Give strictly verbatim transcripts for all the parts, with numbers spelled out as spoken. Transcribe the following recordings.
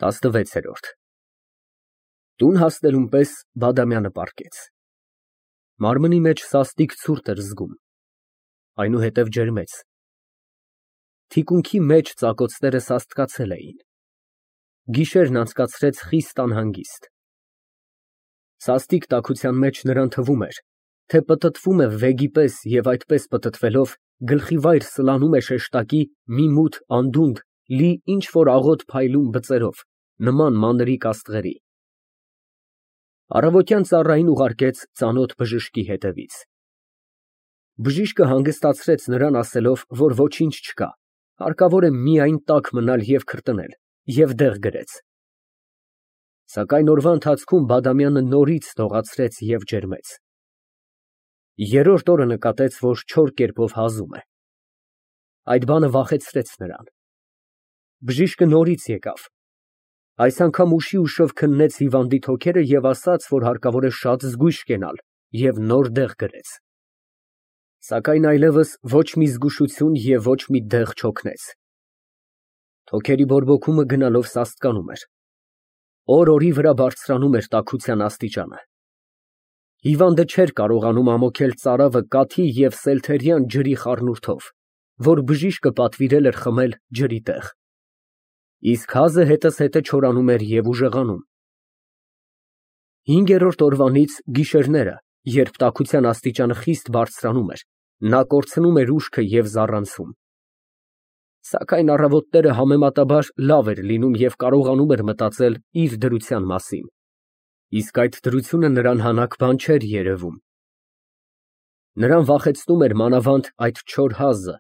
տասնվեցերորդ Տուն հասնելուն պես Բադամյանը պառկեց։ Մարմնի մեջ սաստիկ ցուրտ էր զգում, այնուհետև ջերմեց։ Թիկունքի մեջ ծակոցները սաստկացել էին։ Գիշերն անցկացրեց խիստ անհանգիստ։ Սաստիկ տաքության մեջ նրան թվում էր, թե պտտվում է վեգի պես և այդպես պտտվելով գլխիվայր սլանում է շեշտակի մի մութ անդունդ լի ինչ֊որ աղոտ փայլուն բծերով, նման մանրիկ աստղերի։ Առավոտյան ծառային ուղարկեց ծանոթ բժշկի հետևից։ Բժիշկը հանգստացրեց նրան ասելով, որ ոչինչ չկա, հարկավոր է միայն տաք մնալ և քրտնել, և դեղ գրեց։ Սակայն օրվա ընթացքում Բադամյանը նորից դողացրեց և ջերմեց։ Երրորդ օրը նկատեց, որ չոր կերպով հազում է։ Այդ բանը վախեցրեց նրան։ Բժիշկը նորից եկավ, այս անգամ ուշի ուշով քննեց հիվանդի թոքերը և ասաց, որ հարկավոր է շատ զգույշ կենալ և նոր դեղ գրեց։ Սակայն այլևս ոչ մի զգուշություն և ոչ մի դեղ չօգնեց։ Թոքերի բորբոքումը գնալով սաստկանում էր։ Օր֊օրի վրա բարձրանում էր տաքության աստիճանը։ Հիվանդը չէր կարողանում ամոթել ծարավը կաթի և սելթերյան ջրի խառնուրդով, որ բժիշկը պատվիրել էր խմել ջրի տեղ։ Իսկ հազը հետզհետե չորանում էր և ուժեղանում։ Հինգերորդ օրվանից գիշերները, երբ տաքության աստիճանը խիստ բարձրանում էր, նա կորցնում էր ուշքը և զառանցում։ Սակայն առավոտները համեմատաբար լավ էր լինում և կարողանում էր մտածել իր դրության մասին, իսկ այդ դրությունը նրան հանաք բան չէր երևում։ Նրան վախեցնում էր մանավանդ այդ չոր հազը,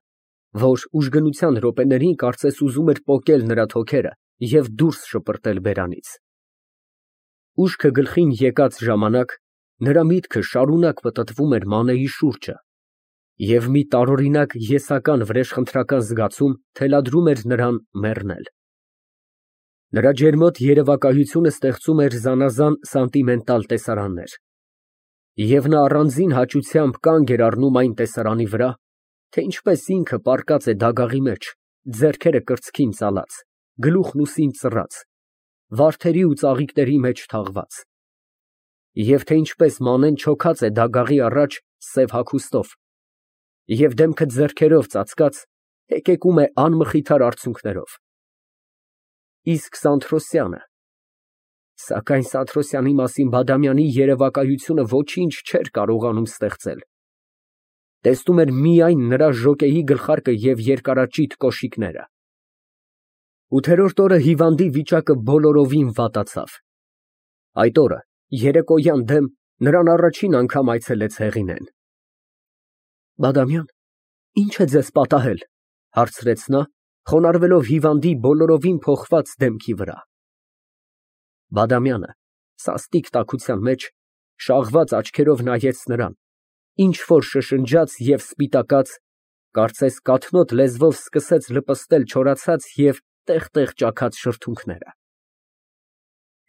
որ ուժգնության րոպեներին կարծես ուզում էր պոկել նրա թոքերը և դուրս շպրտել բերանից։ Ուշքը գլխին եկած ժամանակ նրա միտքը շարունակ պտտվում էր Մանեի շուրջը, և մի տարօրինակ եսական վրեժխնդրական զգացում թելադրում էր նրան մեռնել։ Նրա ջերմոտ երևակայությունը ստեղծում էր զանազան սանտիմենտալ տեսարաններ, և նա առանձին հաճությամբ կանգ էր առնում այն տեսարանի վրա, թե ինչպես ինքը պառկած է դագաղի մեջ, ձեռքերը կրծքին ծալած, գլուխն ուսին ծռած, վարդերի ու ծաղիկների մեջ թաղված, և թե ինչպես Մանեն չոքած է դագաղի առաջ սև հագուստով և դեմքը ձեռքերով ծածկած, հեկեկում է անմխիթար արցունքներով։ Իսկ Սանթրոսյանը… Սակայն Սանթրոսյանի մասին Բադամյանի երևակայությունը ոչինչ չէր կարողանում ստեղծել։ Տեսնում էր միայն նրա ժոկեի գլխարկը և երկարաճիտ կոշիկները։ Ութերորդ օրը հիվանդի վիճակը բոլորովին վատացավ։ Այդ օրը երեկոյան դեմ նրան առաջին անգամ այցելեց Հեղինեն։ Բադամյա՞ն, ի՞նչ է ձեզ պատահել, ֊ հարցրեց նա, խոնարհվելով հիվանդի բոլորովին փոխված դեմքի վրա։ Բադամյանը սաստիկ տաքության մեջ շաղված աչքերով նայեց նրան, ինչ֊որ շշնջաց և սպիտակած, կարծես կաթնոտ լեզվով սկսեց լպստել չորացած և տեղ֊տեղ ճաքած շրթունքները։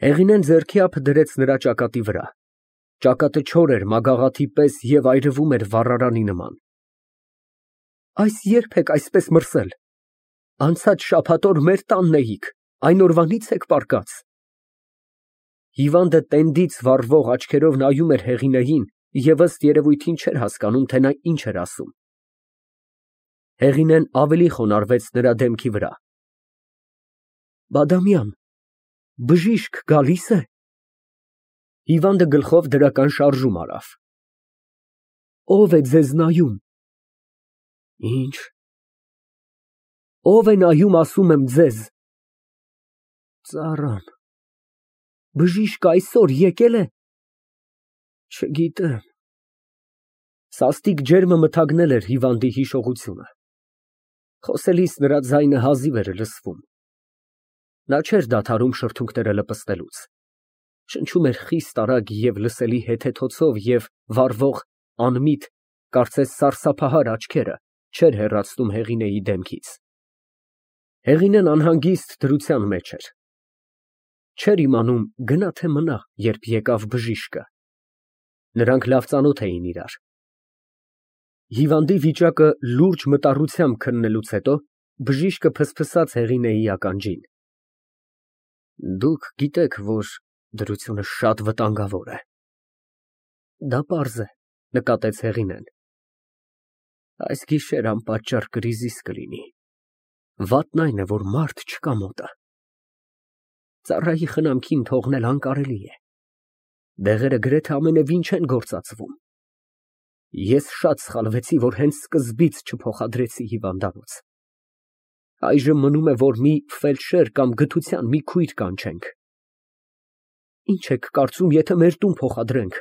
Հեղինեն ձեռքի ափը դրեց նրա ճակատի վրա, ճակատը չոր էր մագաղաթի պես և այրվում էր վառարանի նման։ Այս ե՞րբ եք այսպես մրսել, անցած շաբաթ օր մեր տանն էիք, այն օրվանի՞ց եք պառկած։ Հիվանդը տենդից վառվող աչքերով նայում էր Հեղինեին և ըստ երևույթին չէր հասկանում, թե նա ինչ էր ասում։ Հեղինեն ավելի խոնարհվեց նրա դեմքի վրա։ Բադամյան, բժիշկ գալի՞ս է։ Հիվանդը գլխով դրական շարժում արավ։ Ո՞վ է ձեզ նայում։ Ի՞նչ։ Ո՞վ է նայում, ասում եմ ձեզ։ Ծառան։ Բժիշկը այսօր եկել է։ Չգիտեմ։ Սաստիկ ջերմը մթագնել էր հիվանդի հիշողությունը։ Խոսելիս նրա ձայնը հազիվ էր լսվում։ Նա չէր դադարում շրթունքները լպստելուց։ Շնչում էր խիստ արագ և լսելի հետեթոցով և վառվող, անմիտ, կարծես սարսափահար աչքերը չէր հեռացնում Հեղինեի դեմքից։ Հեղինեն անհանգիստ դրության մեջ էր։ Չէր իմանում գնա թե մնա, երբ եկավ բժիշկը։ Նրանք լավ ծանոթ էին իրար։ Հիվանդի վիճակը լուրջ մտառությամբ քննելուց հետո բժիշկը ֆսֆսաց Հեղինեի ականջին։ Դուք գիտեք, որ դրությունը շատ վտանգավոր է։ Դա պարզ է, նկատեց Հեղինեն։ Այս գիշեր անպատճառ կրիզիս կլինի։ Վատն այն է, որ մարդ չկա մոտը։ Ծառայի խնամքին թողնել անկարելի է։ Դեղերը գրեթե ամենևին չեն գործածվում։ Ես շատ սխալվեցի, որ հենց սկզբից չփոխադրեցի հիվանդանոց։ Այժմ մնում է, որ մի ֆելդշեր կամ գթության մի քույր կանչենք։ Ինչ եք կարծում, եթե մեր տուն փոխադրենք։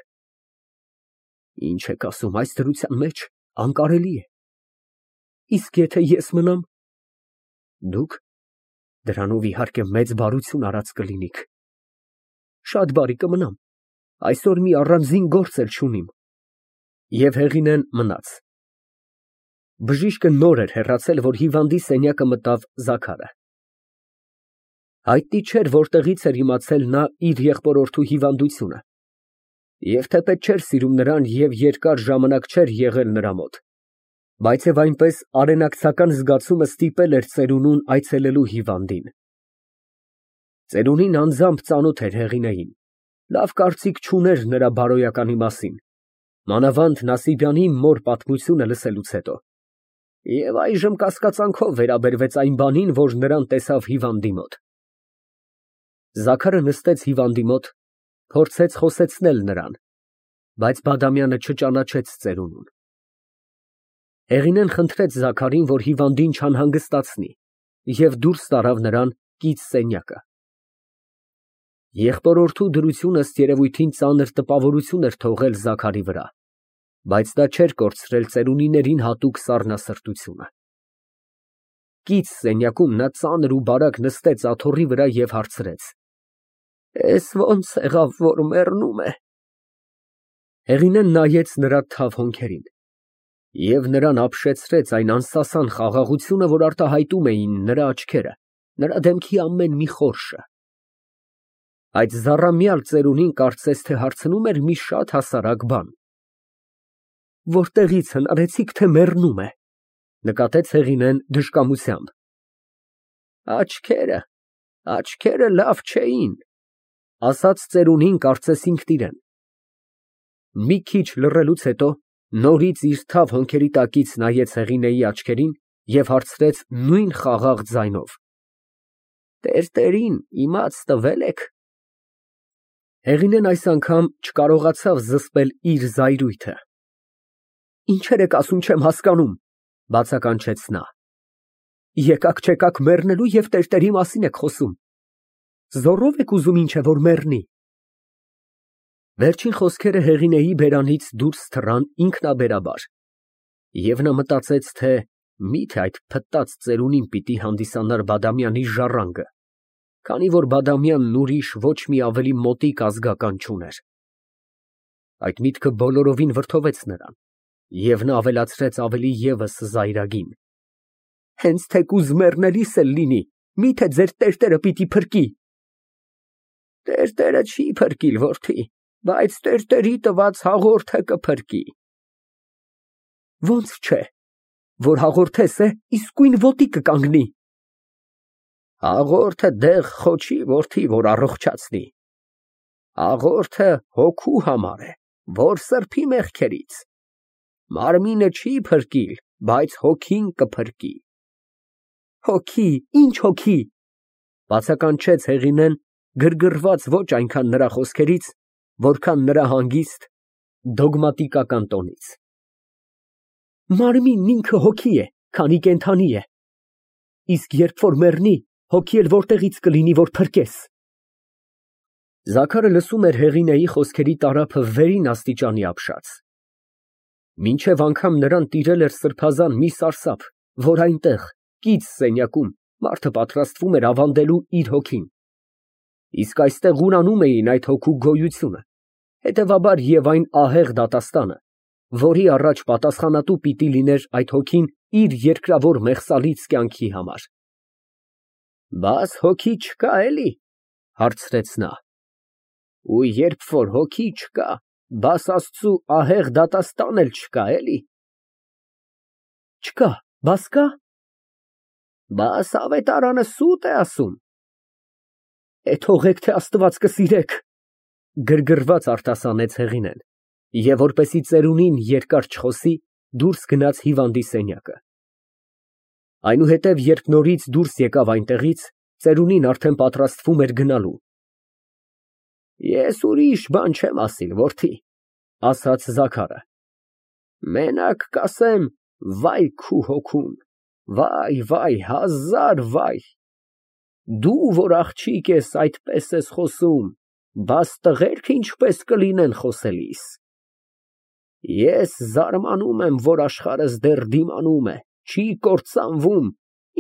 Ինչ եք ասում, այս դրության մեջ անկարելի է։ Իսկ եթե ես մնամ։ Դուք դրանով իհարկե մեծ բարություն արած կլինիք։ Շատ բարի կմնամ, այսօր մի առանձին գործ էլ չունիմ։ Եվ Հեղինեն մնաց։ Բժիշկը նոր էր հեռացել, որ հիվանդի սենյակը մտավ Զաքարը։ Հայտնի չէր, որտեղից էր իմացել նա իր եղբորորդու հիվանդությունը, և թեպետ չէր սիրում նրան և երկար ժամանակ չէր եղել նրա մոտ, բայց և այնպես արենակցական զգացումը ստիպել էր ծերունուն այցելելու հիվանդին։ Ծերունին անձամբ ծանոթ էր Հեղինեին, լավ կարծիք չուներ նրա բարոյականի մասին, մանավանդ Նասիբյանի մոր պատմությունը լսելուց հետո, և այժմ կասկածանքով վերաբերվեց այն բանին, որ նրան տեսավ հիվանդի մոտ։ Զաքարը նստեց հիվանդի մոտ, փորձեց խոսեցնել նրան, բայց Բադամյանը չճանաչեց ծերունուն։ Հեղինեն խնդրեց Զաքարին, որ հիվանդին չանհանգստացնի, և դուրս տարավ նրան կից սենյակը։ Եղբորորդու դրությունը ըստ երևույթին ծանր տպավորություն էր թողել Զաքարի վրա, բայց դա չէր կորցրել ծերունիներին հատուկ սառնասրտությունը։ Կից սենյակում նա ծանր ու բարակ նստեց աթոռի վրա և հարցրեց. Էս ո՞նց եղավ, որ մեռնում է։ Հեղինեն նայեց նրա թավ հոնքերին և նրան ապշեցրեց այն անսասան խաղաղությունը, որ արտահայտում էին նրա աչքերը, նրա դեմքի ամեն մի խորշը։ Այդ զառամյալ ծերունին կարծես թե հարցնում էր մի շատ հասարակ բան։ Որտեղի՞ց հնարեցիք, թե մեռնում է, նկատեց Հեղինեն դժկամությամբ։ Աչքերը, աչքերը լավ չէին, ասաց ծերունին կարծես ինքն իրեն։ Մի քիչ լռելուց հետո նորից իր թավ հոնքերի տակից նայեց Հեղինեի աչքերին և հարցրեց նույն խաղաղ ձայնով. Տերտերին իմաց տվե՞լ եք։ Հեղինեն այս անգամ չկարողացավ զսպել իր զայրույթը։ Ինչեր եք ասում, չեմ հասկանում, բացականչեց նա։ Եկաք֊չեկաք մեռնելու և տերտերի մասին եք խոսում։ Զոռով եք ուզում ինչ է որ մեռնի։ Վերջին խոսքերը Հեղինեի բերանից դուրս թռան ինքնաբերաբար, և նա մտածեց, թե միթե այդ փտտած ծերունին պիտի հանդիսանար Բադամյանի ժառանգը, քանի որ Բադամյանն ուրիշ ոչ մի ավելի մոտիկ ազգական չուներ։ Այդ միտքը բոլորովին վրդովեց նրան, և նա ավելացրեց ավելի ևս զայրագին. Հենց թեկուզ մեռնելիս էլ լինի, միթե ձեր տերտերը պիտի փրկի։ Տերտերը չի փրկիլ, որդի, բայց տերտերի տված հաղորդը կփրկի։ Ոնց չէ, որ հաղորդես է, իսկույն ոտի կկանգնի։ Հաղորդը դեղ խոչի, որդի, որ առողջացնի։ Հաղորդը հոգու համար է, որ սրբի մեղքերից։ Մարմինը չի փրկիլ, բայց հոգին կփրկի։ Հոգի, ինչ հոգի, բացականչեց Հեղինեն, գրգռված ոչ այնքան նրա խոսքերից, որքան նրա հանգիստ, դոգմատիկական տոնից։ Մարմինն ինքը հոգի է, քանի կենդանի է։ Իսկ երբ որ մեռնի, հոգի էլ որտեղից կլինի, որ փրկես։ Զաքարը լսում էր Հեղինեի խոսքերի տարափը վերին աստիճանի ապշած։ Մինչև անգամ նրան տիրել էր սրբազան մի սարսափ, որ այնտեղ, կից սենյակում, մարդը պատրաստվում էր ավանդելու իր հոգին։ Իսկ այստեղ ուրանում էին այդ հոգու գոյությունը, հետևաբար և այն ահեղ դատաստանը, որի առաջ պատասխանատու պիտի լիներ այդ հոգին իր երկրավոր մեղսալից կյանքի համար։ Բաս հոգի չկա, էլի, հարցրեց նա։ Ու երբ որ հոգի չկա, բաս Աստծու ահեղ դատաստան էլ չկա, էլի։ Չկա, բաս կա։ Բաս ավետարանը սուտ է ասում։ Է թողեք, թե Աստված կսիրեք, գրգռված արտասանեց Հեղինեն, և որպեսզի ծերունին երկար չխոսի, դուրս գնաց հիվանդի սենյակը։ Այնուհետև, երբ նորից դուրս եկավ այնտեղից, ծերունին արդեն պատրաստվում էր գնալու։ Ես ուրիշ բան չեմ ասիլ, որդի, ասաց Զաքարը, մենակ կասեմ վայ քու հոգուն, վայ, վայ, հազար վայ, դու, որ աղջիկ ես, այդպես ես խոսում, բաս տղերք ինչպես կլինեն խոսելիս։ Ես զարմանում եմ, որ աշխարհս դեռ դիմանում է, չի կործանվում,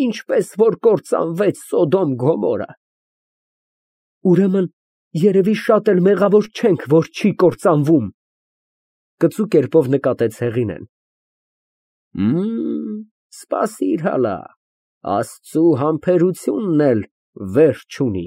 ինչպես որ կործանվեց Սոդոմ Գոմորը։ Ուրեմն երևի շատ էլ մեղավոր չենք, որ չի կործանվում, կծու կերպով նկատեց Հեղինեն։ Մմ, սպասիր հալա, Աստծու համբերությունն էլ վերջ չունի։